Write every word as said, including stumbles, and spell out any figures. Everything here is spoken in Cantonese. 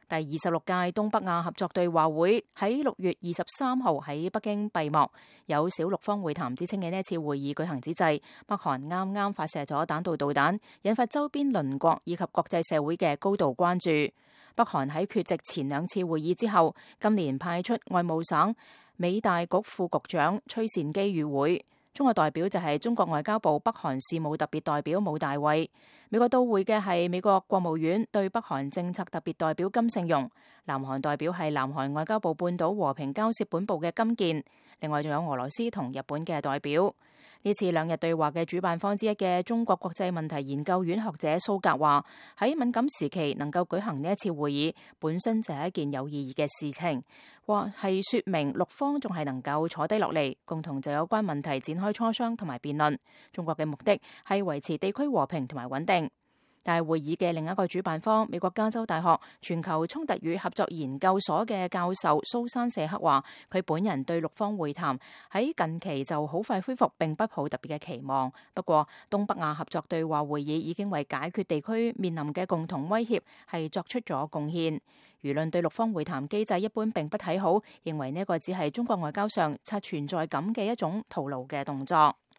第二十六屆東北亞合作對話會喺六月二十三號喺北京閉幕，有小六方會談之稱嘅呢一次會議舉行之際，北韓啱啱發射咗彈道導彈，引發周邊鄰國以及國際社會嘅高度關注。北韓喺缺席前兩次會議之後，今年派出外務省美大局副局長崔善基與會。中國代表就係中國外交部北韓事務特別代表武大衛。美國到會嘅係美國國務院對北韓政策特別代表金聖容。南韓代表係南韓外交部半島和平交涉本部嘅金健。另外仲有俄羅斯同日本嘅代表。呢次兩日對話嘅主辦方之一嘅中國國際問題研究院學者蘇格話：喺敏感時期能夠舉行呢一次會議，本身就係一件有意義嘅事情，或係說明六方仲係能夠坐低落嚟，共同就有關問題展開磋商同埋辯論。中國嘅目的係維持地區和平同埋穩定。但係會議嘅另一個主辦方，美國加州大學全球衝突與合作研究所嘅教授蘇珊謝克話，佢本人對六方會談喺近期就好快恢復並不抱特別嘅期望。不過，東北亞合作對話會議已經為解決地區面臨嘅共同威脅係作出咗貢獻。輿論對六方會談機制一般並不睇好，認為呢個只係中國外交上刷存在感嘅一種徒勞嘅動作。